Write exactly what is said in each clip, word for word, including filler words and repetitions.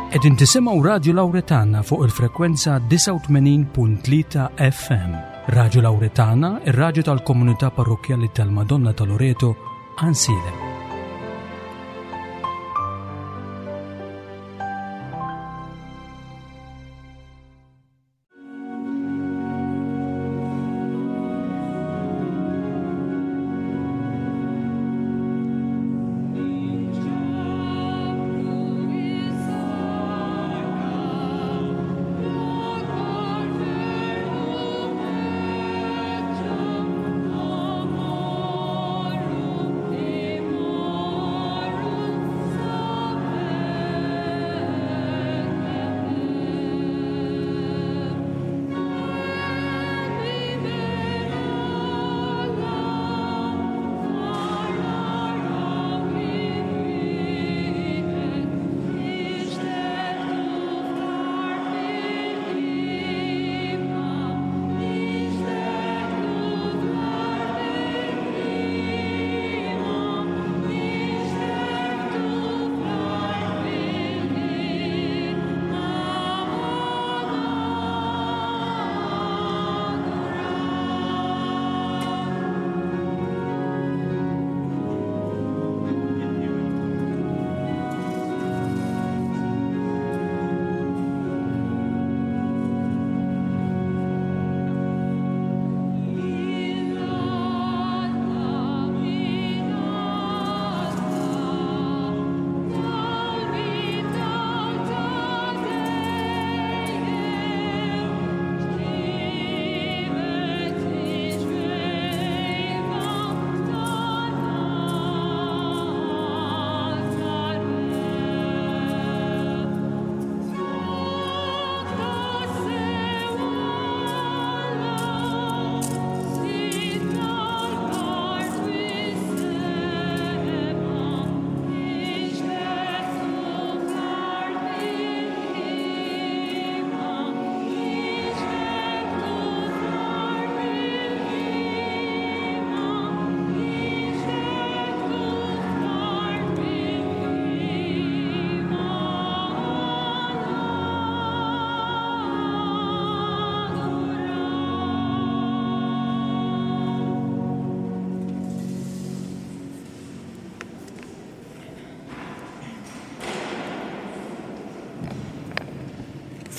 Qegħdin tisimgħu Radju Lawretana fuq il-frekwenza disgħa u tmenin punt tlieta F M. Radju Lawretana, ir-radju tal-komunità parrokkjali tal-Madonna ta' Loreto, Għajnsielem.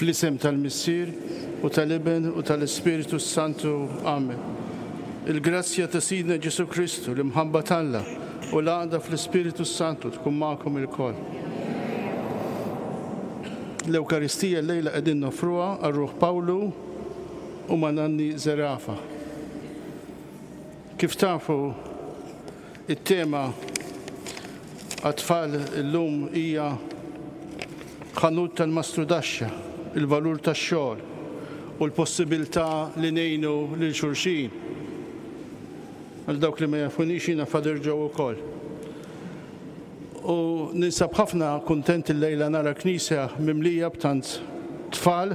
Fl-isem tal-Missier u tal-Iben u tal-Ispiritu Santu. Amen. Il-grazzja ta' Sidna Ġesu Kristu, l-imħabba t'Alla u l-għaqda fl-Ispiritu Santu tkun magħkom ilkoll. L-Ewkaristija llejla qegħdin nofruha għal ruħ Pawlu u Mananni Zerafa. Kif tafu, it-tema għat-tfal illum hija ħanut tal-mastrudaxxa, il-valur tax-xogħol u l-possibilità li ngħinu lil xulxin. Għal dawk li ma jafunix jiena Father Joe ukoll. U ninsab ħafna kuntent illejla nara knisja mimlija b'tant tfal,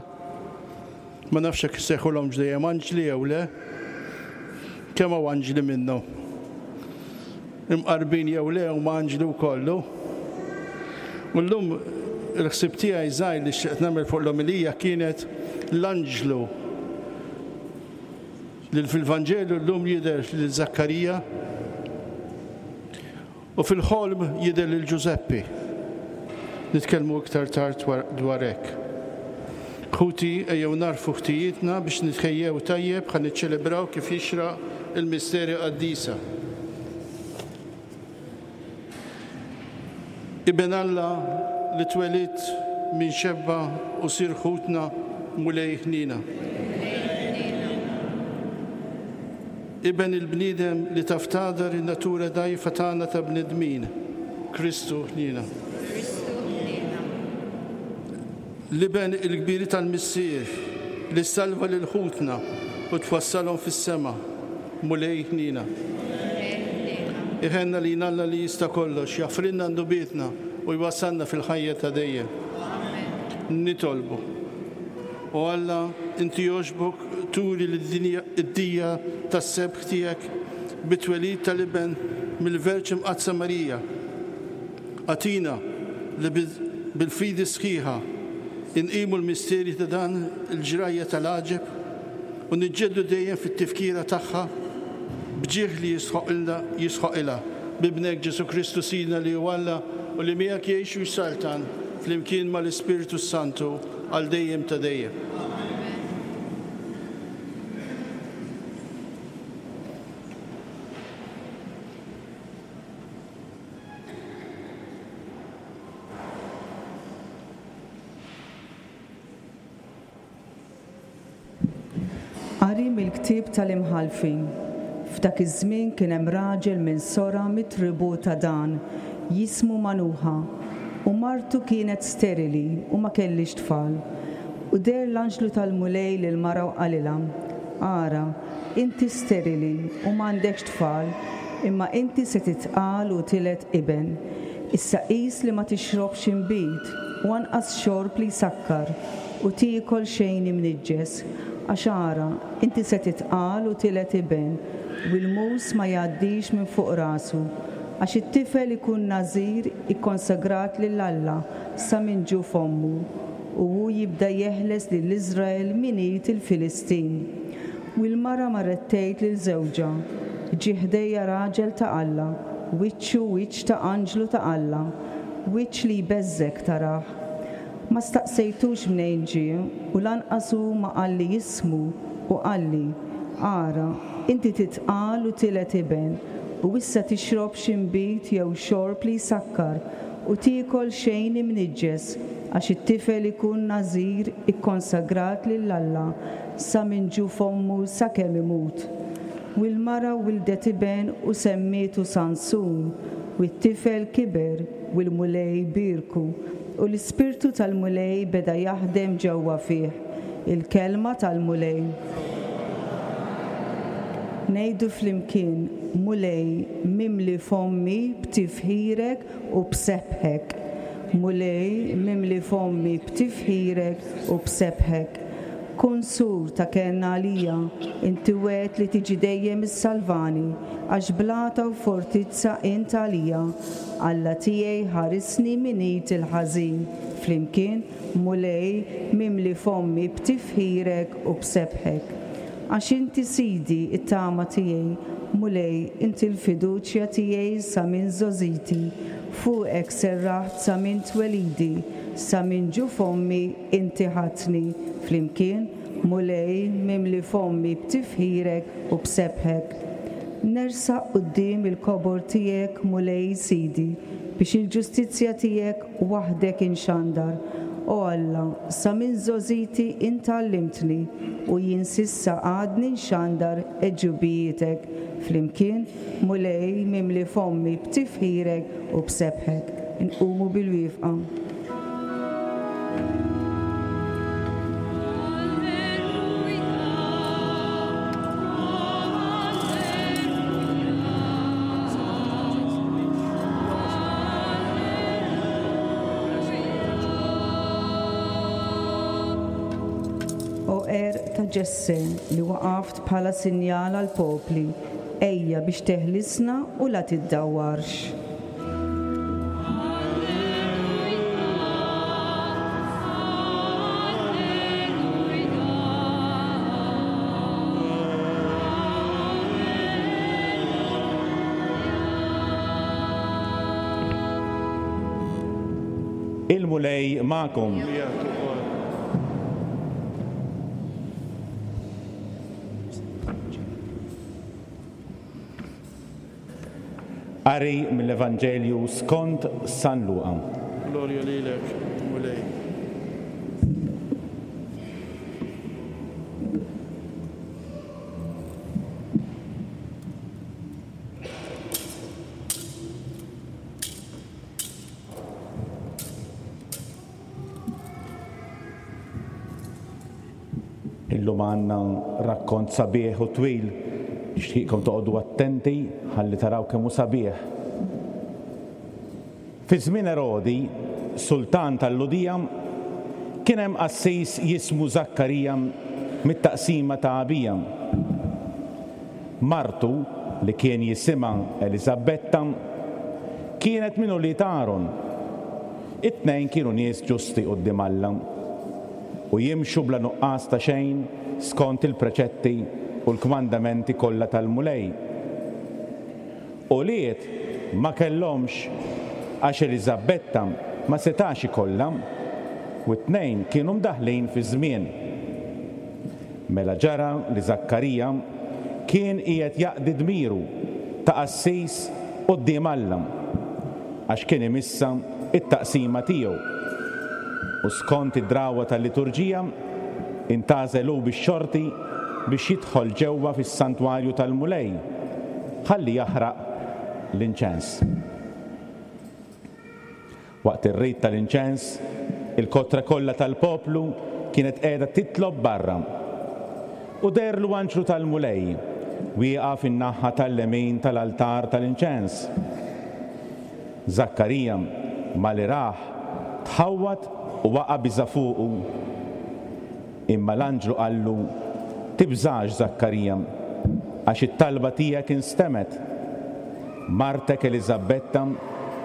ma nafx jekk isejħulhom dejjem anġli jew le, kemm hawn anġli minnhom. Imqarbin jew le huma anġli wkollu. U llum il-ħsieb tiegħi żgħir li xtaqt nagħmel fuq l-omelija kienet l-anġlu li fil-Vanġelu llum jidher lil Żakkarija u fil-ħolm jidher lil Ġużeppi. Nitkellmu iktar tard dwar hekk. Ħuti, ejjew narfu ħtijietna biex nitħejjew tajjeb ħa niċċelebraw kif jixraq il-misteri qaddisa. Iben Alla li twelidt minn xebba u sir ħutna Mulej ħnina. Iben il-bniedem li taf tagħdar in-natura dgħajfa tagħna ta' bnedmin, Kristu ħnina. L-iben il-kbir tal-Missier li salva lil ħutna u twassalhom fis-sema, Mulej ħnina. Iħenna li Alla li jista' kollox, jaffrinna ndubietna u jwassalna fil-ħajja ta' dejjem. Nitolbu. O Alla, inti jogħġbok turi lid-dinja id-dija tas-sebħ tiegħek bit-twelid tal-Iben mill-Verġni Mqaddsa Marija. Agħtina li bil-fidi sħiħa inqimu l-misteri ta' dan il-ġrajja tal-għaġeb u niġġeddu dejjem fit-tifkira tagħha b'ġieħ li jisħoqilna jisħoqilha b'Ibnek Ġesù Kristu Sidna li hu Alla u li miegħek jgħix u jsaltan flimkien mal-Ispirtu Santu għal dejjem ta' dejjem. Qari mill-ktieb tal-Imħallfin. F'dak iż-żmien kien hemm raġel minn Sora mit-tribù ta' Dan, jismu Manuħa, u martu kienet sterili u ma kellhiex tfal. U deher l-anġlu tal-Mulej lil mara u qalilha: Ara, inti sterili u m'għandekx tfal, imma inti se titqal u tiled iben. Issa qis li ma tixrobx inbid u anqas xorb li jsakkar u tiekol xejn imniġġes. Għax ara, inti se titqal u tiled iben, u l-mus ma jgħaddix minn fuq rasu, għax it-tifel ikun nażir ikkonsagrat lil Alla sa minn ġuf ommu, u hu jibda jeħles lil Iżrael minn id il-Filistin. U l-mara marret tgħid lil żewġha: Ġie ħdejja raġel ta' Alla, wiċċu wiċċ ta' anġlu ta' Alla, wiċċ li jbeżżgħek tarah. Ma staqsejtux mnejn ġie, u lanqas hu ma qalli jismu, u qalli: Ara, inti titqal u tiled iben, u issa tixrobx inbid jew xorb li jsakkar, u tiekol xejn imniġġes, għax it-tifel ikun nażir ikkonsagrat lil Alla sa minn ġuf ommu sakemm imut. U l-mara wildet iben u semmietu Sansun, u t-tifel kiber u l-Mulej bierku, u l-Ispirtu tal-Mulej beda jaħdem ġewwa fih. Il-kelma tal-Mulej. Ngħidu flimkien: Mulej, mimli fommi b'tifħirek u b'sebħek. Mulej, mimli fommi b'tifħirek u b'sebħek. Kun sur ta' kenna għalija, inti wegħedt li tiġi dejjem issalvani, għax blata u fortizza int għalija. Alla tiegħi ħarisni minn id il-ħażin. Flimkien, Mulej, mimli fommi b'tifħirek u b'sebħek. Għax inti Sidi it-tama tiegħi, Mulej, inti l-fiduċja tiegħi sa minn żgħożiti, fuqek serraħt sa minn twelidi, sa minn ġuf ommi inti ħadtni. Flimkien, Mulej, mimli fommi b'tifħirek u b'sebħek. Nersaq quddiem il-kobor tiegħek, Mulej Sidi, biex il-ġustizzja tiegħek waħdek inxandar. O Alla, sa minn żgħożiti int għallimtni, u jien s'issa għadni nxandar għeġubijietek. Flimkien, Mulej, mimli fommi b'tifħirek u b'sebħek. Nqumu bil-wieqfa. O għerq ta' Ġesse li waqaft bħala sinjal għal popli, ejja biex teħlisna u la tiddawwarx. Il-Mulej magħkom. Miegħek ukoll. Qari mill-Evanġelju skont San Luqa. Glorja lilek, Mulej. Illum għandna rakkont sabiħ u twil. Nixtieqkom toqgħodu attenti ħalli taraw kemm hu sabiħ. Fi żmien Erodi, sultan tal-Lhudija, kien hemm qassis jismu Żakkarija mit-taqsima ta' Abija. Martu, li kien jisimha Eliżabetta, kienet minn ulied Aaron. It-tnejn kienu nies ġusti quddiem Alla u jimxu bla nuqqas ta' xejn skont il-preċetti u l-kmandamenti kollha tal-Mulej. Ulied ma kellhomx għax Eliżabetta ma setax ikollha u t-tnejn kienu mdaħlin fi żmien. Mela ġara li Żakkarija kien qiegħed jaqdi dmiru ta' qassis quddiem Alla għax kien imissa it-taqsima tiegħu. U skont id-drawwa tal-liturġija intgħażel hu bix-xorti biex jidħol ġewwa fis-santwarju tal-Mulej ħalli jaħraq l-inċens. Waqt ir-rit tal-inċens, il-kotra kollha tal-poplu kienet qiegħda titlob barra. U deherlu anġlu tal-Mulej wieqaf fin-naħa tal-lemin tal-altar tal-inċens. Żakkarija malli rah tħawwad u waqa' biża' fuqu. Imma l-anġlu qallu: Tibżax, Żakkarija, għax it-talba tiegħek instemgħet. Martek Eliżabetta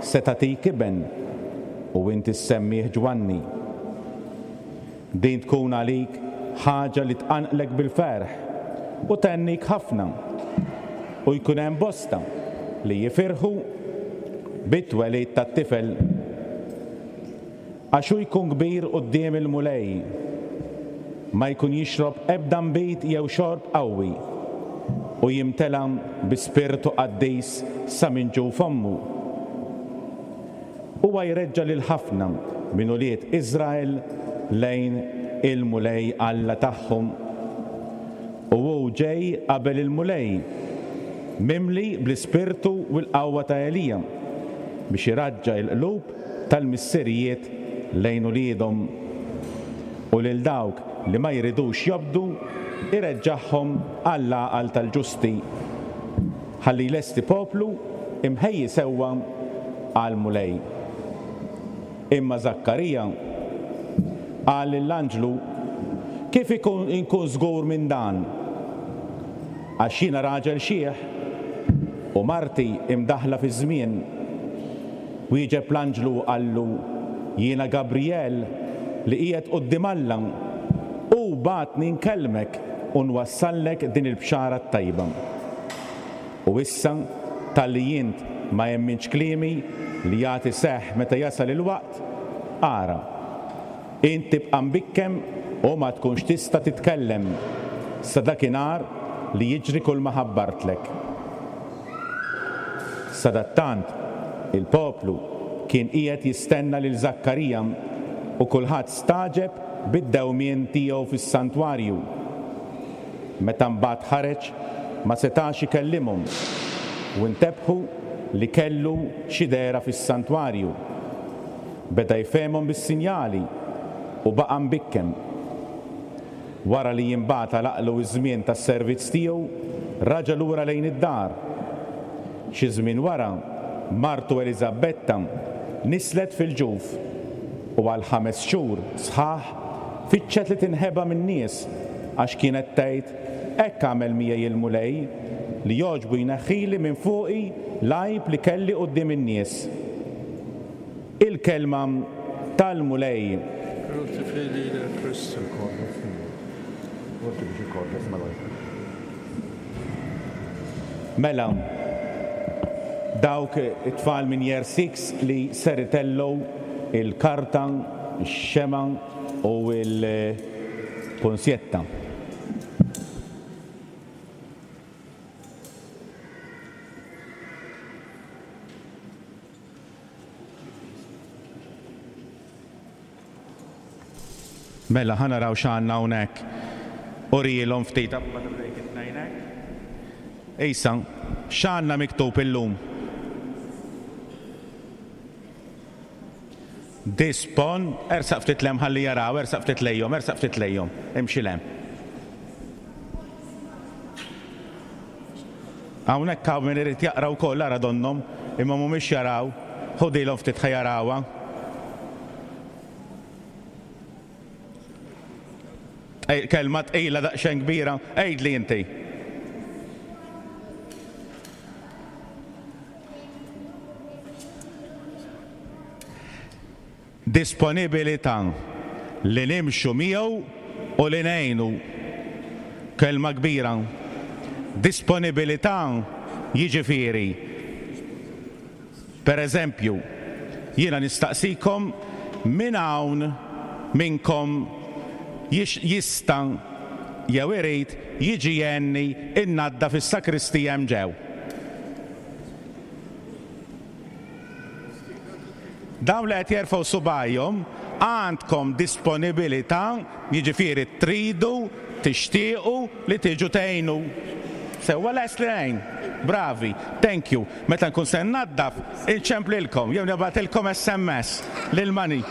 se tagħtik iben u inti ssemmih Ġwanni. Din tkun għalik ħaġa li tqanqlek bil-ferħ u thennik ħafna, u jkun hemm bosta li jifirħu bit-twelid tat-tifel. Għax hu jkun kbir quddiem il-Mulej, ma jkun jixrob ebda nbid jew xorb qawwi, u jimtela bi spirtu qaddis sa minn ġuf ommu. Huwa jreġġa' lil ħafna minn ulied Iżrael lejn il-Mulej Alla tagħhom. U hu ġej qabel il-Mulej, mimli bl-ispirtu u l-qawwa ta' Elija, biex iraġġa' il-qlub tal-missirijiet lejn uliedhom, u lil dawk li ma jridux jobdu ireġġagħhom għall-għaqal tal-ġusti, ħalli jlesti poplu imħejji sewwa għall-Mulej. Imma Żakkarija qal lill-anġlu: Kif ikun inkun żgur minn dan? Għax jiena raġel xiħ u marti imdaħla fi żmien. Wieġeb l-anġlu u qallu: Jiena Gabriel li qiegħed quddiem Alla, u bagħatni nkellmek u nwassallek din il-bxara t-tajba. U issa talli int ma emminx kliemi li jagħti seħħ meta jasal il-waqt, ara, int tibqa' mbikkem u ma tkunx tista' titkellem sa dakinhar li jiġri kull ma ħabbartlek. Sadattant il-poplu kien qiegħed jistenna lil Żakkarija u kulħadd stagħġeb bid-dewmien tiegħu fis-santwarju. Meta mbagħad ħareġ ma setax ikellimhom u ntebħu li kellu xi dehra fis-santwarju. Beda jfehmhom bis-sinjali u baqa' mbikkem. Wara li imbagħad għalaqlu iż-żmien tas-servizz tiegħu, raġa' lura lejn id-dar. Xi żmien wara, martu Eliżabetta nislet fil-ġuf u għal ħames xhur sħaħ fittxet li tinħeba min-nies għax kienet tgħid: Hekk għamel miegħi il-Mulej li jogħġbu jneħħili minn fuqi l-għajb li kelli quddiem in-nies. Il-kelma tal-Mulej. Mela, dawk it-tfal minn Year six li ser itellgħu il-karta, ix-xema u l-ponsjetta. Mela, ħa naraw x'għandna hawnhekk. Urilhom ftit. Issa, x'għandna miktub illum? Dispon, ersaq ftit lem ħalli jaraw, ersaq ftit lejhom, ersaq ftit lejhom, imxi lem. Hawnhekk hawn min irid jaqra wkoll ara donnhom, imma mhumiex jaraw, ħudilhom ftit ħa jarawha. Kelma tqila daqsxejn kbira, għidli inti. Disponibilità li nimxu miegħu u li ngħinu. Kelma kbira. Disponibilità jiġifieri. Per eżempju, jiena nistaqsikom min hawn minnkom jista' jew irid jiġi jgħinni innaddaf is-sakristija hemm ġew. Dawn li qed jerfgħu subgħajhom għandkom disponibilità, jiġifieri tridu, tixtiequ li tiġu tgħinu. Sewwa lest li ngħin. Bravi, thank you. Meta nkun se nnaddaf, inċemplilkom jew nibgħatilkom S M S lil mani.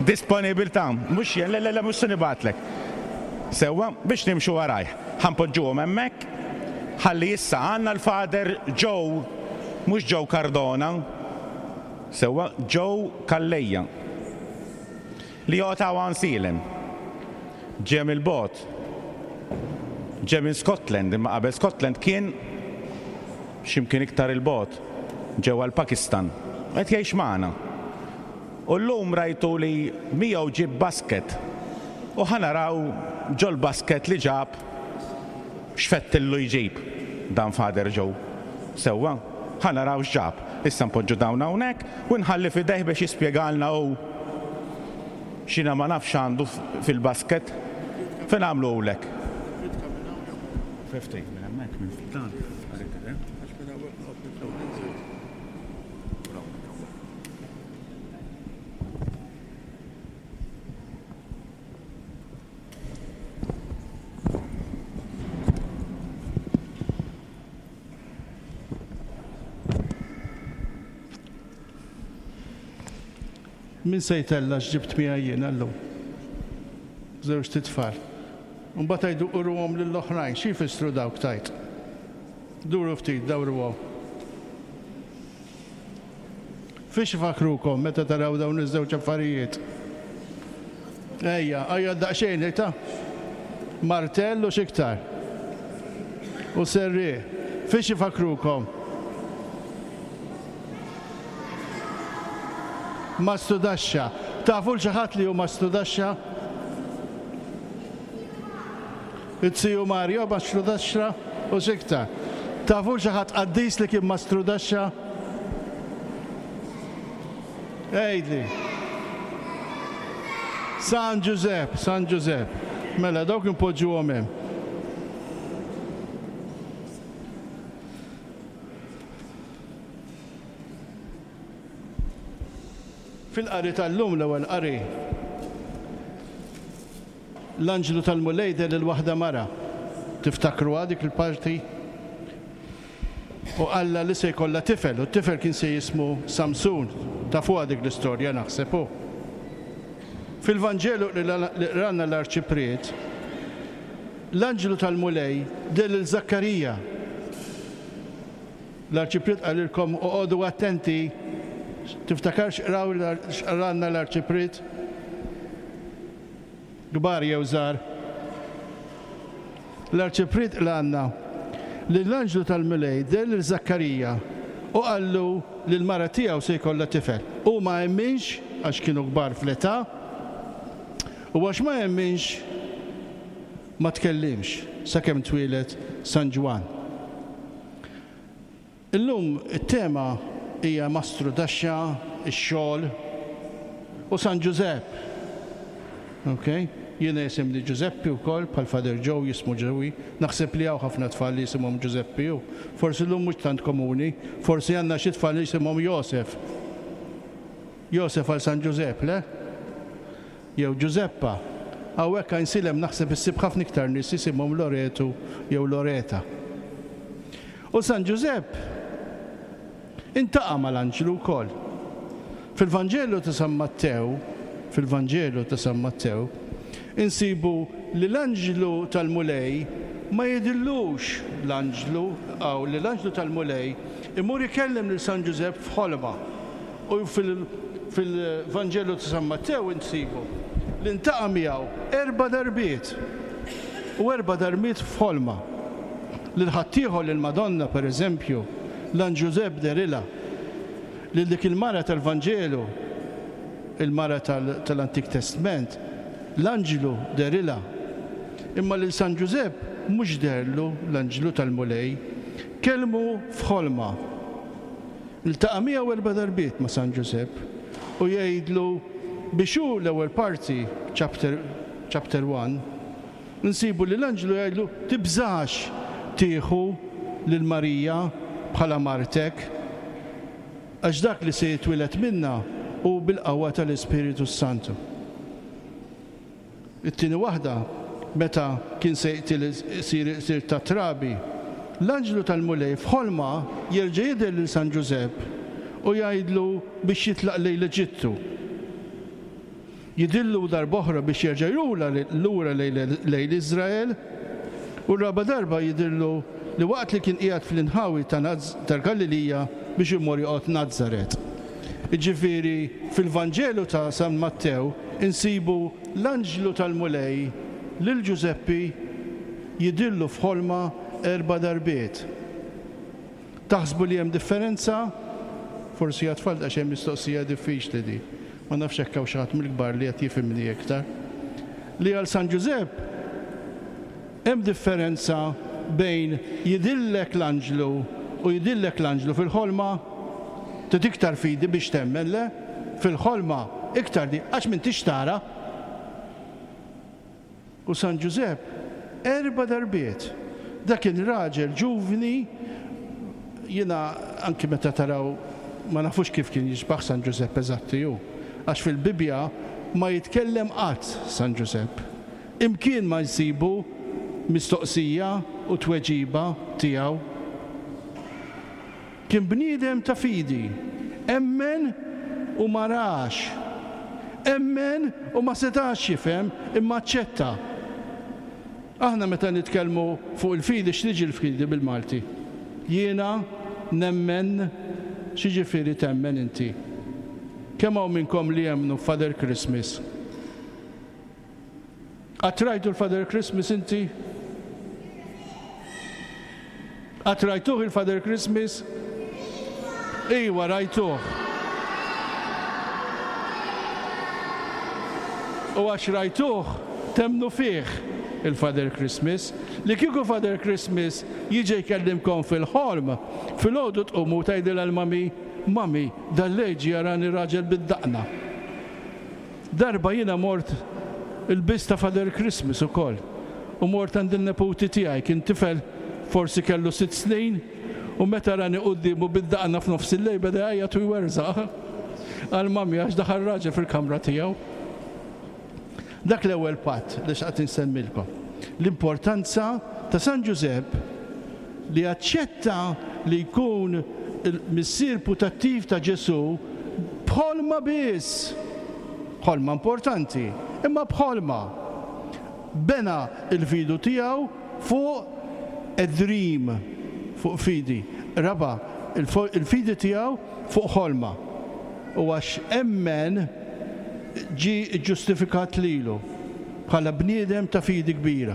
Disponibilità, mhux jien, le, le, le, mhux se nibgħatlek. Sewwa biex nimxu warajh. Ħanpoġġuhom hemmhekk, ħalli issa għandna l-Father Joe, mhux Joe Cardona. Sewwa Joe Calleja li joqgħod hawn Għajnsielem. Ġie mill-bogħod. Ġie minn Scotland, imma qabel Scotland kien x'imkien iktar il-bogħod, ġewwa l-Pakistan. Qed jgħix magħna. U llum rajtu li miegħu ġib basket. U ħanaraw ġol basket li ġab x'fettillu jġib dan Father Joe. Sewwa, ħanaraw x'ġab. Issa npoġġu dawn hawnhekk u nħalli f'idejh biex jispjegalna hu x'jiena ma nafx għandu fil-basket. Fejn għamluhulek? Fifty, minn hemmhekk, minn dan. Min se jtella x'ġibt miegħi jiena llum? Żewġ titfal. Imbagħad għidu uruhom lill-oħrajn, xi jfissru dawk tajt? Duru ftit, dawruhom. Fiex ifakrukom meta taraw dawn iż-żewġ affarijiet? Ejja, ejja daqsxejn, ta' martell u x'iktar. U serrieq. Fiex ifakrukom? Mastudaxxa. Tafu l xi ħadd li hu mastudaxxa? It-siju Mario mastrudaxxa u x'iktar. Tafu xi ħadd qaddis li kien mastrudaxxa? Għidli. San Ġużepp, San Ġużepp. Mela dawk impoġġuhom hemm. Fil-qari tal-lum l-ewwel qari, l-anġlu tal-Mulej deher lil waħda mara. Tiftakruha dik il-parti? U qalla li se jkollha tifel, u t-tifel kien se jismu Samsun. Tafuha dik l-istorja naħseb hu. Fil-Vanġelu li qrana l-Arċipriet, l-anġlu tal-Mulej deher lil Żakkarija. L-Arċipriet qalilkom oqogħdu attenti. Tiftakar x'qraw x'qranna l-Arċipriet? Kbar jew żgħar? L-Arċipriet qlanna li l-anġlu tal-Mulej deher lil Żakkarija u qallu li l-mara tiegħu se jkollha tifel. U ma emminx għax kienu kbar fl-età, u għax ma emminx ma tkellimx sakemm twieled San Ġwann. Illum it-tema hija mastrudaxxa, ix-xogħol u San Ġużepp. Okay? Jiena jisimni Ġużeppi wkoll, bħal Father Joe jismu Ġewi. Naħseb li hawn ħafna tfal li jisimhom Ġużeppi u forsi llum mhux tant komuni, forsi għandna xi tfal li jisimhom Josef. Josef għal San Ġużepp, le? Jew Ġużeppa. Hawnhekk Għajnsielem naħseb issib ħafna iktar nies jisimhom Loretu jew Loreta. U San Ġużepp intaqa' mal-anġlu wkoll. Fil-Vanġelu ta' San Mattew, fil-Vanġelu ta' San Mattew, insibu li l-anġlu tal-Mulej ma jidillux l-anġlu, aw li l-anġlu tal-Mulej imur ikellem lil San Ġużepp f'ħolma. U fil-Vanġelu ta' San Mattew insibu li ntaqa' miegħu erba' darbiet u erba' darbiet f'ħolma. Lil ħaddieħor lil Madonna pereżempju, l-Anġlu Ġużepp derilha. Lil dik il-mara tal-Vanġelu, il-mara tal-Antik Testament, l-anġlu derilha. Imma lil San Ġużepp mhux derlu l-anġlu tal-Mulej, kellmu f'ħolma. Iltaqa' miegħu erba' darbiet ma' San Ġużepp u jgħidlu biex hu l-ewwel parti, chapter, chapter one, nsibu li l-anġlu jgħidlu tibżax tieħu lil Marija bħala martek, għax dak li se jitwieled minna hu bil-qawwa tal-Ispiritu Santu. It-tieni waħda, meta kien se jqtil isir ta' trabi, l-anġlu tal-Mulej f'ħolma jerġa' jidher lil San Ġużepp u jgħidlu biex jitlaq lejn l-Eġittu. Jidillu darb'oħra biex jerġa' lura lejn Iżrael, u r-raba' darba jidillu li waqt li kien qiegħed fl-inħawi tal-Galilija biex imur joqgħod Nazaret. Jiġifieri fil-Vanġelu ta' San Mattew insibu l-anġlu tal-Mulej lil Ġużeppi jidillu f'ħolma erba' darbiet. Taħsbu li hemm differenza? Forsi għat-tfal daqsxejn mistoqsija diffiċli di. Ma nafx hekk hawn xi ħadd mill-kbar li qed jifhimni iktar. Li għal San Ġużepp hemm differenza bejn jidillek l-anġlu u jidillek l-anġlu fil-ħolma? Trid iktar fidi biex temmen, le? Fil-ħolma iktar di, għax m'intix tara. U San Ġużepp erba' darbiet. Dak kien raġel ġuvni, jiena anki meta taraw ma nafux kif kien jixbaħ San Ġużepp eżatti hu, għax fil-Bibbja ma jitkellem qatt San Ġużepp. Imkien ma jsibu mistoqsija u tweġiba tiegħu. Kien bniedem ta' fidi, emmen u ma rax, emmen u ma setax jifhem imma aċċetta. Aħna meta nitkellmu fuq il-fidi, x'tiġi l-fidi bil-Malti? Jiena nemmen, x'jiġifieri temmen inti? Kemm hawn minnkom li jemmnu Father Christmas? Qatt rajtu l-Father Christmas inti? Qatt rajtuh il-Father Christmas? Iwa, rajtuh. U għax rajtuh, temnu fih il-Father Christmas. Li kieku Father Christmas jiġi jkellimkom fil-ħolm, fil-għodu tqumu tgħidilha l-mami, mami, dal-leġi jarani raġel bid-daqna. Darba jiena mort il-bis ta' Father Christmas ukoll. U mort għand il-neputi tiegħi, kien tifel forsi kellu sitt snin, u meta rani quddiemu bid-daqna f'nofs il-lejl beda jgħajjat u jwerżaq. Għal mami għax daħal raġel fil-kamra tiegħu. Dak l-ewwel patt li xtaqt insemmilkom. L-importanza ta' San Ġużepp li aċċetta li jkun il-missier putattiv ta' Ġesù b'ħolma biss. Ħolma importanti, imma b'ħolma. Bena il-fidu tiegħu fuq a dream, fuq fidi. Raba, il-fidi tiegħu fuq ħolma. U għax emmen ġie ġustifikat lilu bħala bniedem ta' fidi kbira.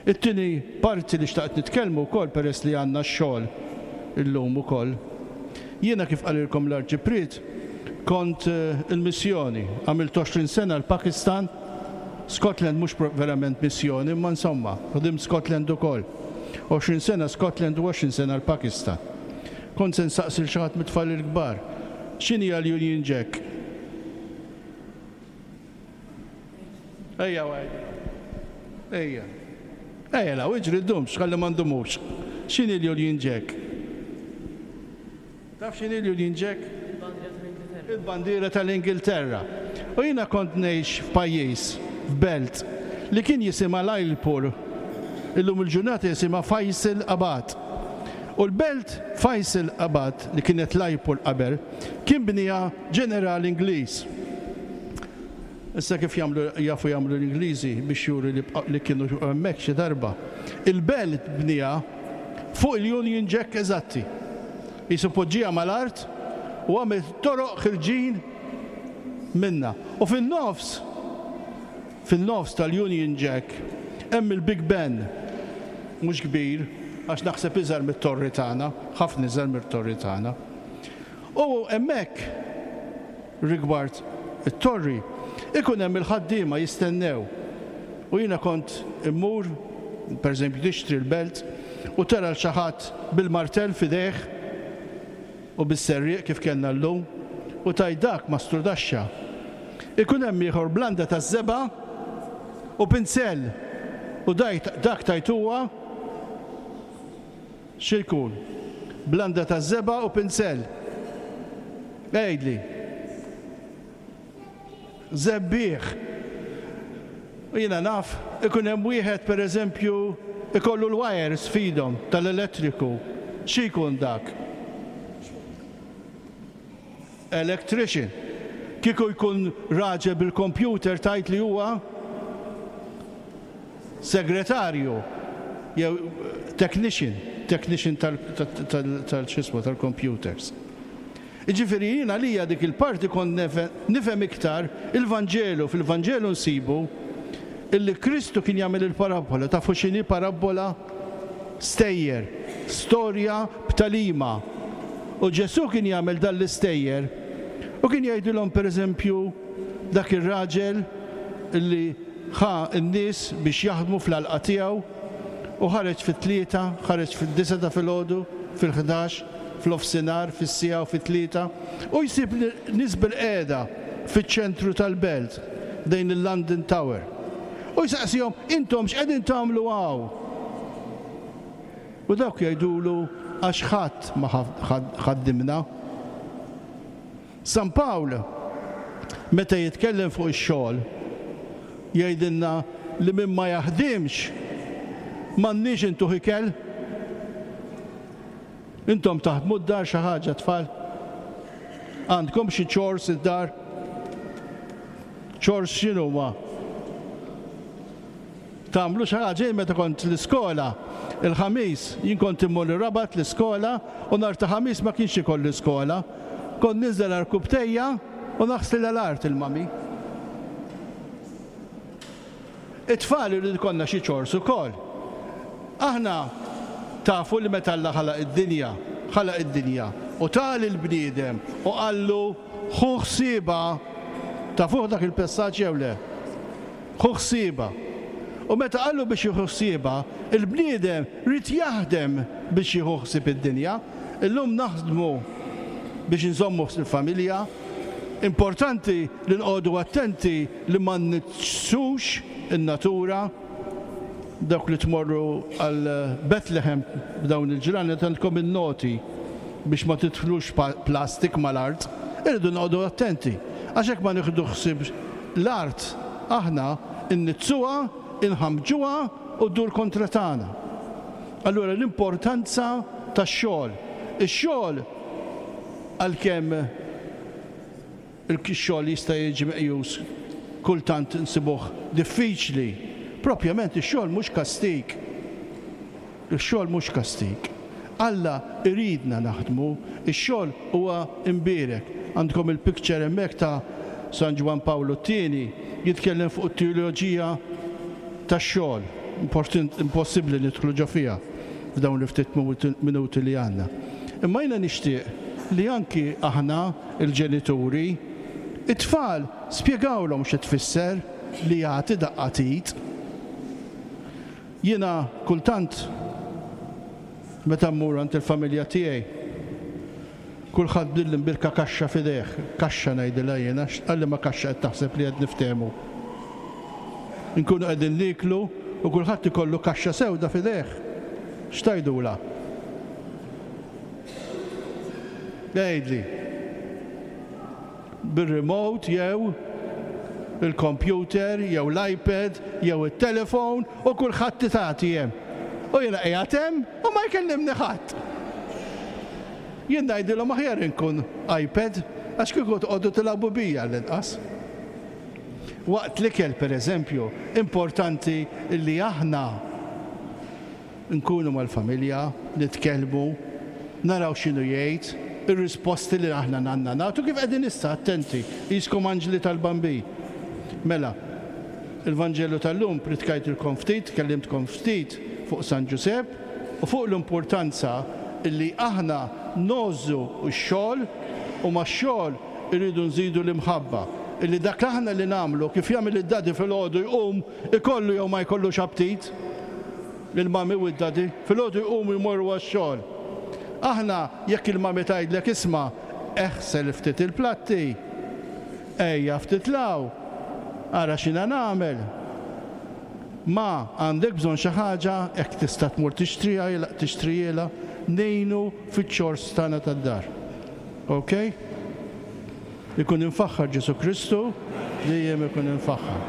It-tieni parti li xtaqt nitkellmu wkoll peress li għandna x-xogħol illum ukoll. Jiena kif qalilkom l-Arċipriet, kont il-missjoni, għamilt għoxrin sena l-Pakistan, Scotland mhux verament missjoni, imma insomma, ħdimt Scotland ukoll. għoxrin sena Scotland u għoxrin sena l-Pakistan. Kont se nsaqsi lil xi ħadd mit-tfal il-kbar, x'inhi l-Union Jack? Ejja għajdi. Ejja. Ejja law, iġri ddumx, ħalli ma ndumux. X'inhi l-Union Jack? Taf x'inhi l-Union Jack? Il-bandiera tal-Ingilterra. U jiena kont ngħix f'pajjiż, f'belt, li kien jisimha Lyallpur. Illum il-ġurnata jisimha Faisal Abad. U l-belt Faisal Abad, li kienet Lyallpur qabel, kien bniha ġeneral Ingliż. Issa kif jagħmlu, jafu jagħmlu l-Ingliżi biex juru li, li kienu hemmhekk xi darba. Il-belt bniha fuq il-Union Jack eżatti. Jisu poġġiha mal-art u għamel toroq ħirġin minna. U fin-nofs, fin-nofs tal-Union Jack hemm il-Big Ben, mhux kbir, għax naħseb iżgħar mit-torri tagħna, ħafna iżgħar mit-torri tagħna. U hemmhekk rigward it-torri ikun hemm il-ħaddiema jistennew. U jiena kont immur, pereżempju tixtri l-belt, u tara l xi ħadd bil-martell f'idejh u bis-serrieq kif kellna llum, u tgħid dak mastrudaxxa. Ikun hemm ieħor blanda taż-żebgħa u pinsell, u dak tajt huwa xi jkun? Blanda taż-żebgħa u pinsell. Għidli. Żebbieħ. U jiena naf, ikun hemm wieħed pereżempju ikollu l-wires f'idhom tal-elettriku. Xi jkun dak? Electrician. Kieku jkun raġel bil-computer tajt li huwa segretarju jew technician, technician tal-xismu tal-computers. Jiġifieri jiena lija dik il-parti kont nifhem iktar il-Vanġelu. Fil-Vanġelu nsibu illi Kristu kien jagħmel il-parabbola. Tafu x'inhi parabbola? Stejjer, storja b'talima. U Ġesù kien jagħmel dan l-istejjer u kien jgħidilhom pereżempju dak ir-raġel illi ħa n-nies biex jaħdmu fl-għalqa tiegħu u ħareġ fit-tlieta, ħareġ fid-disgħa ta' filgħodu, fil-ħdax, fl-ofsinhar, fis-siegħa u fit-tlieta, u jsib nies bil-qiegħda fiċ-ċentru tal-belt dejn il-London Tower. U jsaqsihom, intom x'qegħdin tagħmlu hawn? U dawk jgħidulu għax ħadd ma ħaddimna. San Pawl, meta jitkellem fuq ix-xogħol, jgħidilna li min ma jaħdimx m'għandniex intuh ikel. Intom taħdmu d-dar xi ħaġa tfal? Għandkom xi chores id-dar? Chores x'inhuma? Tagħmlu xi ħaġa? Meta kont l-iskola, il-ħamis, jien kont immur ir-Rabat l-iskola u nhar ta' ħamis ma kienx ikolli skola. Kont ninżel għall-kubtejja u naħsel l-art il-mami. It-tfal irid ikollna xi chores ukoll. Aħna tafu li meta Alla ħalaq id-dinja, ħalaq id-dinja u ta lill-bniedem u qallu ħu ħsiebha. Tafuh dak il-passaġġ jew le? Ħu ħsiebha. U meta qallu biex jieħu ħsiebha, il-bniedem rid jaħdem biex jieħu ħsieb id-dinja. Illum naħdmu biex nżommu il-familja. Importanti li nqogħdu attenti li ma nniġġsux in-natura. Dawk li tmorru għal Bethlehem b'dawn il-ġranet għandkom in-noti biex ma tidħlux plastik mal-art. Irridu noqogħdu attenti għax hekk ma nieħdu ħsieb l-art aħna nniġġsuha, inħamġuha u ddur kontra tagħna. Allura l-importanza tax-xogħol. Ix-xogħol għalkemm il-xogħol jista' jiġi meqjus kultant nsibuh diffiċli, propjament ix-xogħol mhux kastig. Ix-xogħol mhux kastig. Alla iridna naħdmu, ix-xogħol huwa imbierek. Għandkom il-picture hemmhekk ta' San Ġwann Pawlu t-tieni jitkellem fuq it-teoloġija tax-xogħol. Impossibbli nidħlu ġo fiha f'dawn il-ftit minuti li għandna. Imma jiena nixtieq li anki aħna il-ġenituri, it-tfal spjegawlhom xi tfisser li jagħti daqqa t'id. Jiena kultant meta mmur għand il-familja tiegħi, kulħadd bdil imbirka kaxxa f'idejh, kaxxa ngħidilha jiena, għalli ma kaxxa qed taħseb li qed niftehmu. Inkunu qegħdin nieklu u kulħadd ikollu kaxxa sewda f'idejh. X'tajdula? Għidli. Bir-remote jew il-computer jew l-iPad jew it-telefon u kulħadd titgħati hemm. U jiena qiegħed hemm u ma jkellimni ħadd. Jien ngħidilhom aħjar inkun iPad għax kieku toqgħodu tilagħbu bija l-inqas. Waqt l-ikel pereżempju, importanti li aħna nkunu mal-familja, nitkellmu, naraw x'inhu jgħid, ir-risposti li aħna għandna nagħtu kif qegħdin issa attenti, qiskom anġli tal-Bambin. Mela, il-Vanġelu tal-lum pritkajtilkom ftit, kellimtkom ftit fuq San Ġusepp u fuq l-importanza illi aħna ngħożżu x-xogħol u max-xogħol irridu nżidu l-imħabba. Illi dak aħna li nagħmlu kif jagħmel id-daddy filgħodu jqum ikollu jew ma jkollux aptit, il-mummy u d-daddy filgħodu jqumu jmorru għax-xogħol. Aħna jekk il-mummy tgħidlek isma' eħsel ftit il-platti, ejja ftit law, ara x'inha nagħmel. Ma għandek bżonn xi ħaġa hekk tista' tmur tixtriha tixtrihielha, ngħinu fiċ-chores tagħna tad-dar. Ok? Ikun infaħħar Ġesu Kristu, dejjem ikun infaħħar.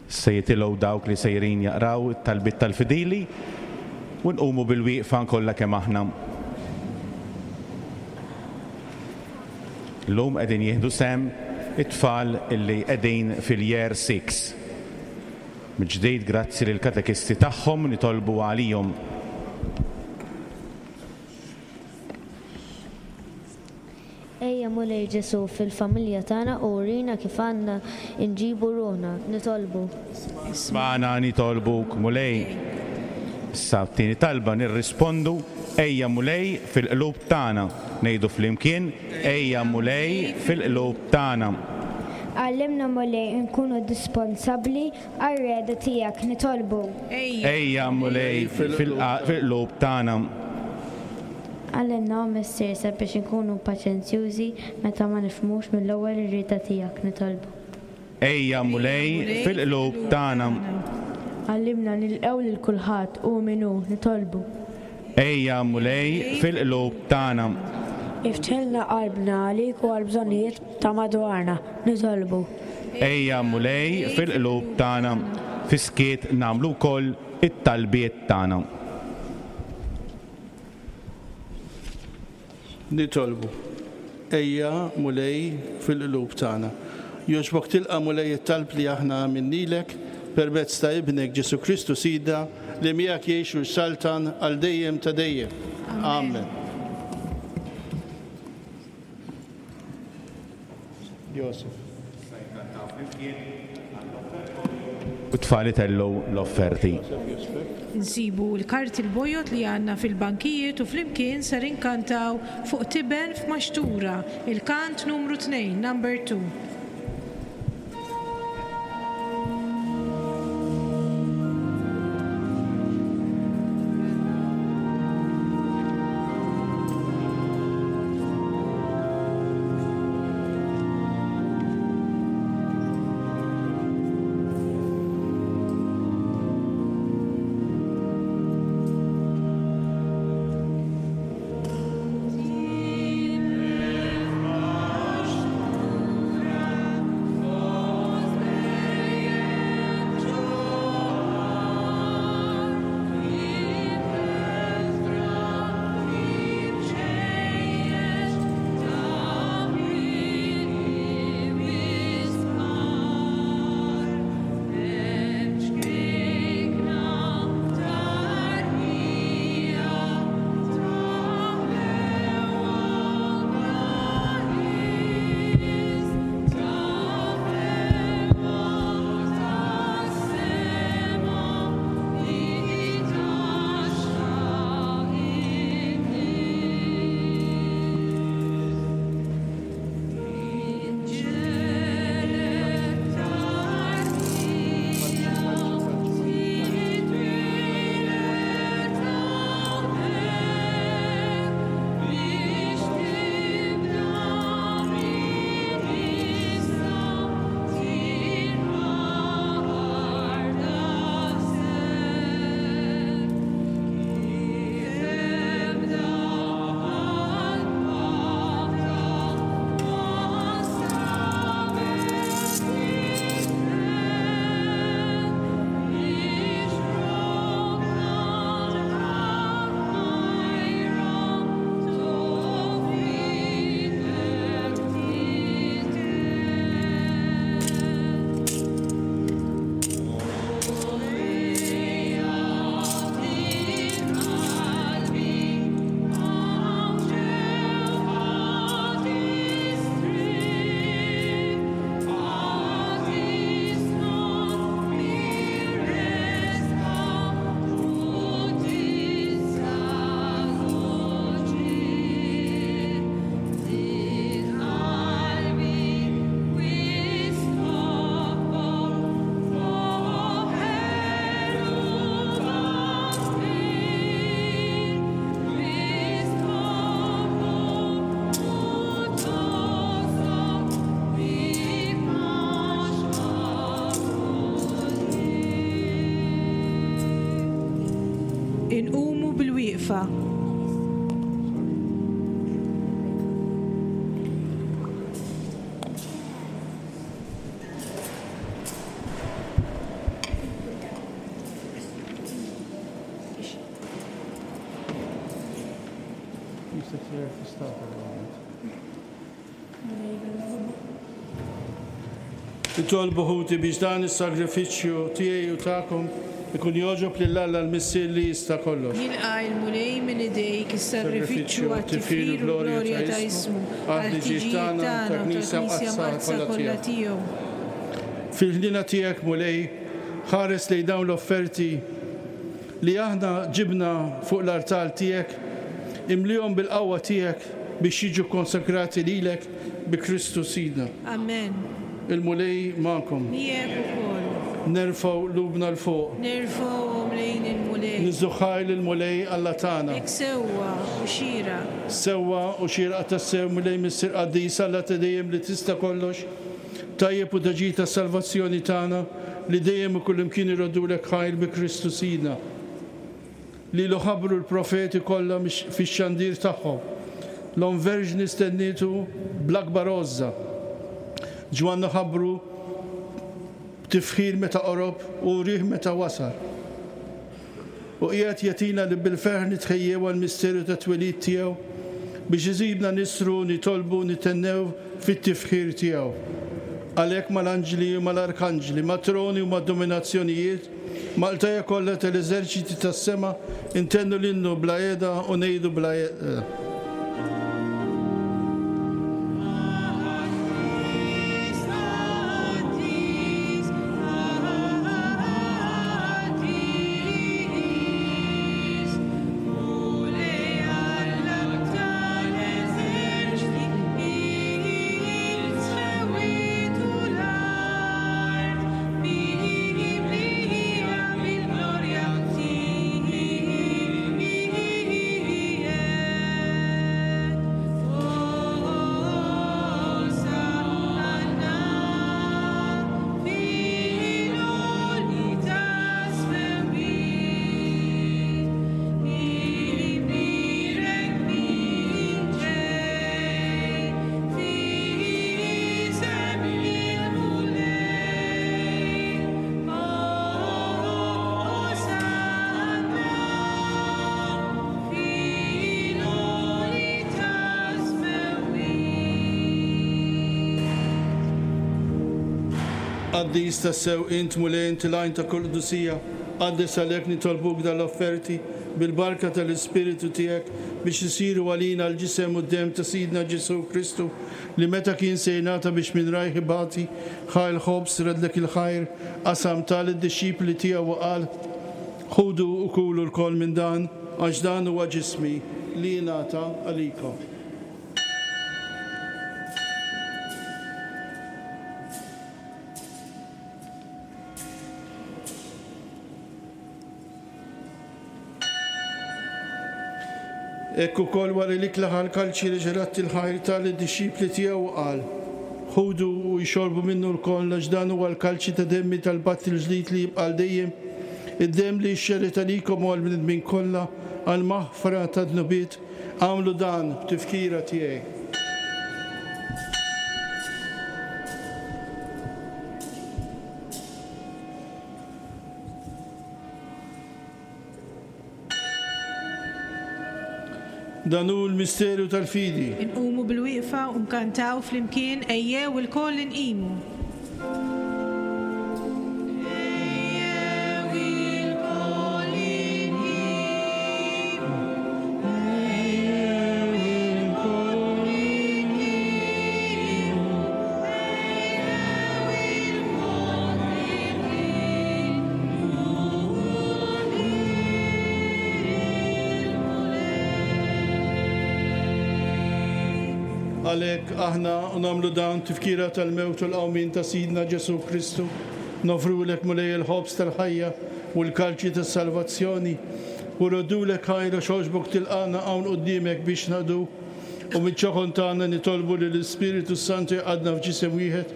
Se jitilgħu dawk li sejrin jaqraw it-talbiet tal-fidili u nqumu bil-wieqfa kollha kemm aħna. Illum qegħdin jieħdu sehem it-tfal illi qegħdin fil-year six. Mill-ġdid grazzi lill-katekisti tagħhom nitolbu għalihom. Ejja Mulej Ġesu fil-familja tagħna u urina kif għandna nġibu ruħna, nitolbu. Ismagħna nitolbuk Mulej. Issa t-tieni talba nirrispondu ejja Mulej fil-qlub tagħna. Ngħidu flimkien ejja Mulej fil-qlub tagħna. Għallimna Mulej nkunu disponsabbli għar-rieda tiegħek, nitolbu. Ejja Mulej fil-qlub tagħna. Għallimna o Missier sabiex inkunu paċenzjużi meta ma nifhmux mill-ewwel ir-rieda tiegħek, nitolbu. Ejja Mulej fil-qlub tagħna. Għallimna nilqgħu lil kulħadd u min hu, nitolbu. Ejja Mulej fil-qlub tagħna. Iftħilna qalbna għalik u għall-bżonnijiet ta' madwarna, nitolbu. Ejja Mulej fil-qlub tagħna. Fiskiet nagħmlu wkoll it-talbiet tagħna. Nitolbu. Ejja Mulej fil-qlub tagħna. Jogħġbok tilqa' Mulej it-talb li aħna għamilnilek permezz ta' ibnek Ġesu Kristu Sidna li miegħek jgħix u jsaltan għal dejjem ta' dejjem. Amen. Josef. U tfal itellu l-offerti. Nsibu l-karti l-bojod li għandna fil-bankijiet u flimkien ser inkantaw fuq tiben f'maxtura, il-kant numru tnejn, number two. Thank you. Inqumu bil-wieqfa. Nitolbu ħuti biex dan is-sagrifiċċju tiegħi u tagħkom ikun jogħġob lil Alla l-Missier li jista' kollox. Jilqa' l-Mulej minn idejk is-sagrifiċċju għat-tifħir u glorja ta' ismu, għall-ħtiġijiet tagħna u tal-Knisja Mqaddsa kollha tiegħu. Fil-ħniena tiegħek, Mulej, ħares lejn dawn l-offerti li aħna ġibna fuq l-artal tiegħek, imlihom bil-qawwa tiegħek biex jiġu konsakrati lilek bi Kristu Sidna. Amen. Il-Mulej magħkom. Miegħek ukoll. Nerfgħu qlubna 'l fuq. Nerfgħuhom lejn il-Mulej. Niżżu ħajr lill-Mulej Alla tagħna. Hekk sewwa u xieraq. Sewwa u xieraq tassew Mulej Missier Qaddis Alla ta' dejjem li tista' kollox, tajjeb u ta' ġid tas-salvazzjoni tagħna li dejjem u kullimkien iroddulek ħajr bi Kristu Sidna. Lilu ħabbru l-profeti kollha fix-xandir tagħhom. L-Omm Verġni stennietu bl-akbar għożża. Ġwanna ħabbru b'tifħir meta qorob u rih meta wasal. U qiegħed jagħtina li bil-ferħ nitħejjew għall-misteru ta' twelid tiegħu biex iżibna nisru, nitolbu, nitennew fit-tifħir tiegħu. Għalhekk mal-anġli u mal-arkanġli, mat-troni u mad-dominazzjonijiet, mal-qtajja kollha tal-eżerċiti tas-sema, intennu l-innu bla qiegħda u ngħidu bla qiegħda. Qaddis tassew int Mulej, inti l-għajn ta' kull qdusija, qaddis għalhekk nitolbuk dal-offerti bil-barka tal-Ispiritu tiegħek biex isiru għalina l-ġisem u d-demm ta' Sidna Ġesù Kristu li meta kien se jingħata biex minn rajh ibati, ħa l-ħobż, redlek il-ħajr, qasam ta lid-dixxipli tiegħu u qal: Ħudu u kulu lkoll minn dan, għax dan huwa ġismi li jingħata għalikom. Hekk ukoll wara li klaħa l-kalċi li ġerat il-ħajr tal-dixxipli tiegħu qal: Ħudu u jxorbu minnu lkoll għax dan huwa l-kalċi ta' demmi tal-patt il-ġdid li jibqa' għal dejjem, id-demm li jxerred għalikom u għall-bnedmin kollha għall-maħfra ta' dnubiet. Agħmlu dan b'tifkira tiegħi. Dan hu l-misteru tal-fidi. Inqumu bil-wieqfa u nkantaw flimkien ejjew ilkoll inqimu. Għalhekk aħna nagħmlu dan tifkira tal-mewt u l-qawmien ta' Sidna Ġesù Kristu, nofrulek Mulej il-ħobż tal-ħajja u l-kalċi tas-salvazzjoni, u roddulek ħajra xogħbok tilqana hawn quddiemek biex naqdu, u miċ-ċoħon tagħna nitolbu li l-Ispiritu Santu jqadna f'ġisem wieħed,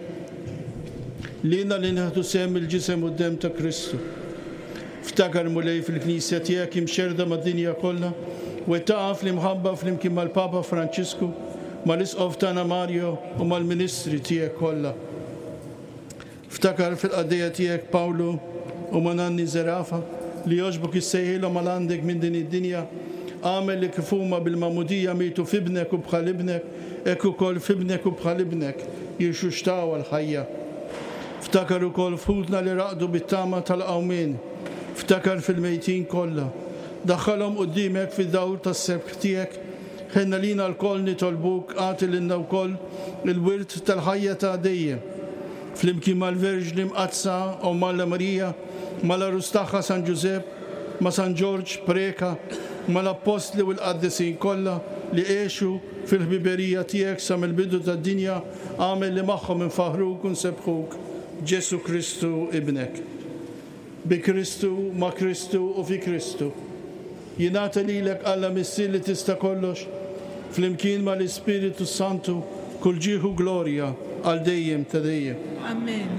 lilna li nieħdu sehem il-ġisem u d-demm ta' Kristu. Ftakar, Mulej, fil-Knisja tiegħek imxerda mad-dinja kollha, wettaqha fl-imħabba flimkien mal-Papa Franċisku, mal-Isqof tagħna Mario u mal-Ministri tiegħek kollha. Ftakar fil-qaddejja tiegħek Pawlu u ma' Nanni Zerafa li jogħġbok issejħilhom għal għandek minn din id-dinja. Għamel li kif huma bil-magħmudija mietu f'ibnek u bħal ibnek, hekk ukoll f'ibnek u bħal ibnek jirxuxtaw għall-ħajja. Ftakar ukoll f'ħutna li raqdu bit-tama tal-qawmien. Ftakar fil-mejtin kollha. Daħħalhom quddiemek fid-dawl tas-sebħ tiegħek. Ħenna lina lkoll nitolbuk, agħti lilna wkoll il-wirt tal-ħajja ta' dejjem. Flimkien mal-Verġni Mqaddsa Omm Alla Marija, mal-għarus tagħha San Ġużepp, ma' San Ġorġ Preca, mal-Appostli u l-qaddisin kollha li għexu fil-ħbiberija tiegħek sa mill-bidu tad-dinja, għamel li magħhom infaħruk u nsebbħuk, Ġesu Kristu ibnek. Bi Kristu, ma' Kristu u fi Kristu. Jingħata lilek Alla Missier li tista' kollox, flimkien mal-Ispiritu Santu, kull ġieħ u glorja għal dejjem ta' dejjem. Amen.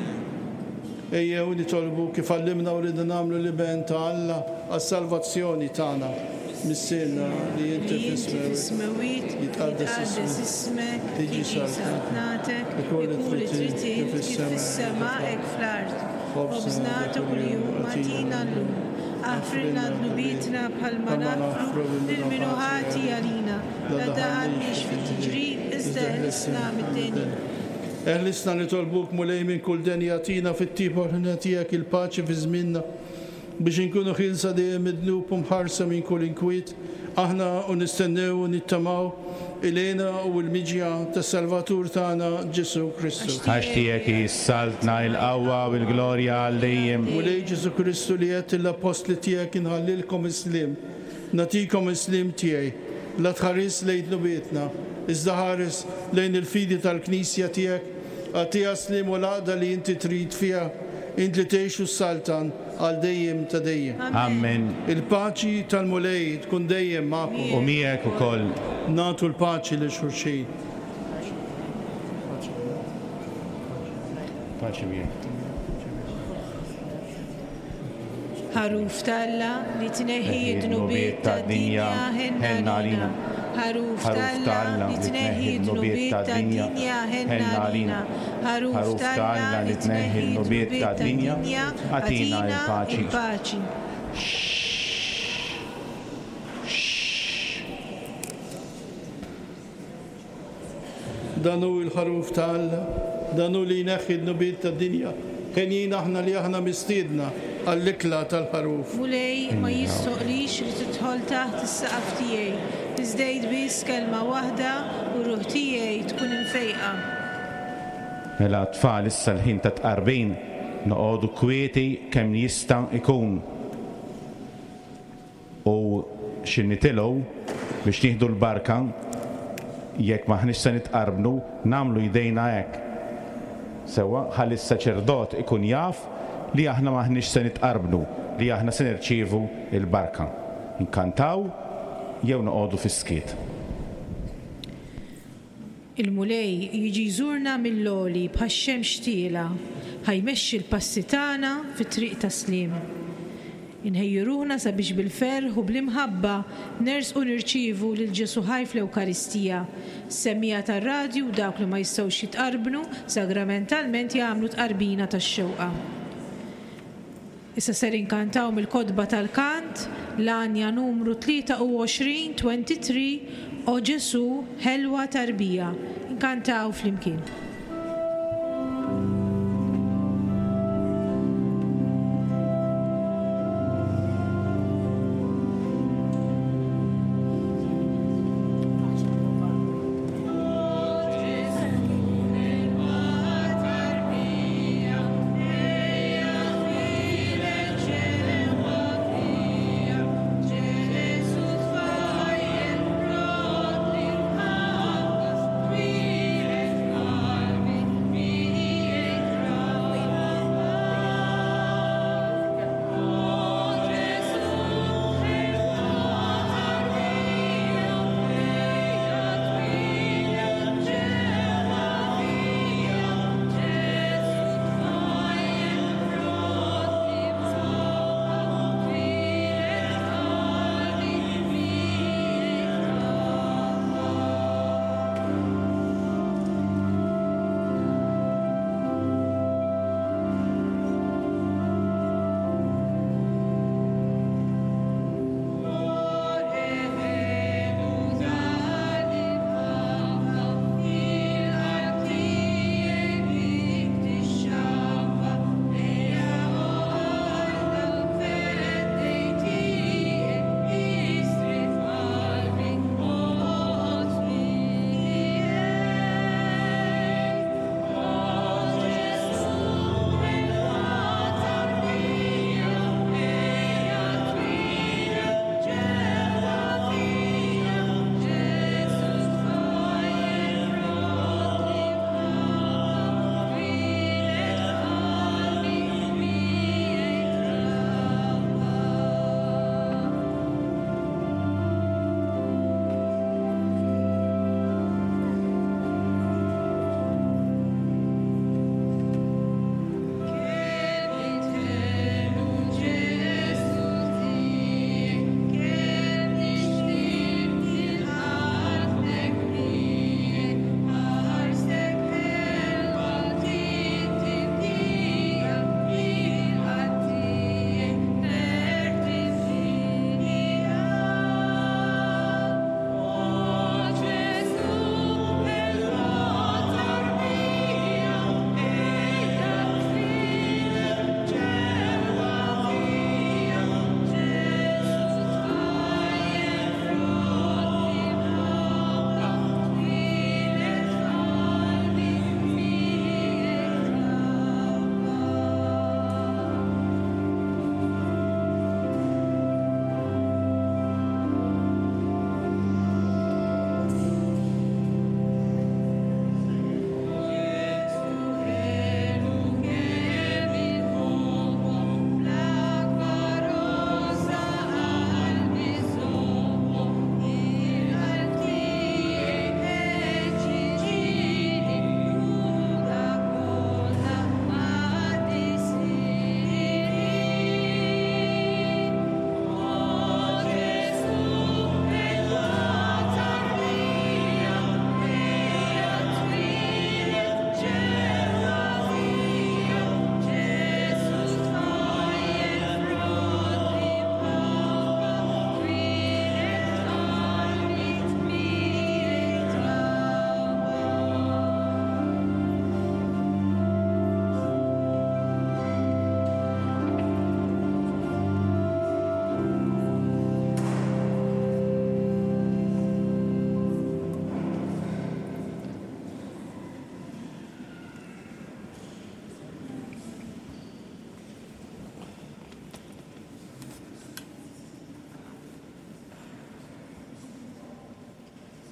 Ejjew nitolbu kif għallimna u rridna nagħmlu l-Iben ta' Alla għas-salvazzjoni tagħna. Missierna li inti fis-smewwiet, jitqaddes ismek, tiġi tiġi saltnatek, ikun li ikun li trid trid kif kif fis-sema hekk fl-art. Ħobżna Ħobżna ta' kuljum agħtina llum. Aħfrilna dnubietna bħalma naħfru lil min hu ħati għalina. La tdaħħalniex fit-tiġrib, iżda eħlisna mid-deni. Eħlisna nitolbuk Mulej minn kull deni, agħtina fit-tiba u l-ħniena tiegħek il-paċi fi żmienna, biex inkunu ħielsa dejjem mid-dnub u mħarsa minn kull inkwiet, aħna u nistennew u nittamaw il-hena u l-miġja tas-Salvatur tagħna Ġesu Kristu. Għax tiegħek hi s-saltna, il-qawwa u l-glorja għal dejjem. Mulej Ġesu Kristu li għedt lill-appostli tiegħek inħallilkom is-sliem, nagħtikom is-sliem tiegħi, la tħares lejn dnubietna, iżda ħares lejn il-fidi tal-Knisja tiegħek, agħtiha sliem u l-għaqda li inti trid fiha, int li tgħix u ssaltan għal dejjem ta' dejjem. Amen. Il-paċi tal-Mulej tkun dejjem magħkom. U miegħek ukoll. Nagħtu l-paċi lil xulxin. Paċi miegħek. Ħaruf t'Alla li tneħħi d-dnubiet tad-dinja, ħenna għalina. Ħaruf t'Alla li tneħħi d-dnubiet tad-dinja, ħenna għalina. Ħaruf t'Alla li tneħħi d-dnubiet tad-dinja, agħtina agħtina l-paċi. il-paċi. Dan hu l-ħaruf ta' Alla, dan hu li jneħħi d-dnubiet tad-dinja. Henjin aħna li aħna mistiedna għall-ikla tal-ħaruf. Mulej, ma jistoqlix li tidħol taħt is-saqaf tiegħi, iżda għid biss kelma waħda u ruħ tiegħi tkun imfejqa. Mela tfal, issa l-ħin ta' tqarbin, noqogħdu kwieti kemm jista' ikun. U xi nitilgħu biex nieħdu l-barka, jekk m'aħniex se nitqarbnu, nagħmlu jdejna hekk. Sewwa, ħalli s-saċerdot ikun jaf li aħna m'aħniex se nitqarbnu, li aħna se nirċievu l-barka. Inkantaw jew noqogħdu fis-skiet. Il-Mulej jiġi jżurna mill-għoli bħax-xemx tiela, ħajmexxi l-passi tagħna fit-triq tas-sliem. Inħejju ruħna sabiex bil-ferħ u bl-imħabba nersqu nirċievu lil Ġesu ħaj fl-Ewkaristija. Semmiegħa tar-radju u dawk li ma jistgħux jitqarbnu sagramentalment jagħmlu tqarbina tax-xewqa. Issa ser inkantaw mill-kotba tal-kant l-għanja numru tlieta u għoxrin, twenty-three, O Ġesu, ħelwa tarbija. Inkantaw flimkien. Thank you.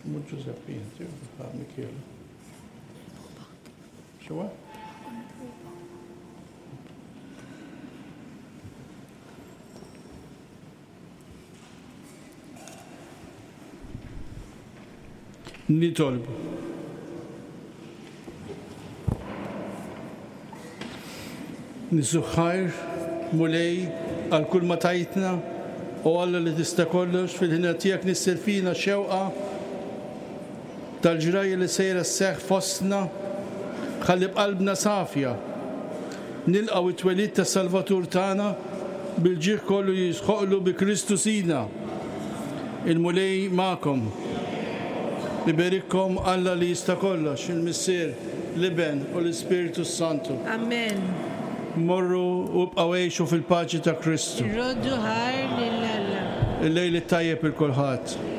Mhux Ġużeppi inti, Mikielu. X'huwa? Nitolbu. Nisuħħajr, Mulej, għal kull ma tajtna, u Alla li tista' kollox fil-ħina tiegħek nissel fina xewqa tal-ġrajja li sejra sseħħ fostna, ħalli b'qalbna safja nilqgħu it-twelid tas-Salvatur tagħna bil-ġieħ kollu jisħoqlu bi Kristu Sidna. Il-Mulej magħkom. Iberikkom Alla li jista' kollox, il-Missier, l-Iben u l-Ispirtu Santu. Amen. Morru u bqgħu għixu fil-paċi ta' Kristu. Irroddu ħajr lil Alla. Il-lejl it-tajjeb il kulħadd.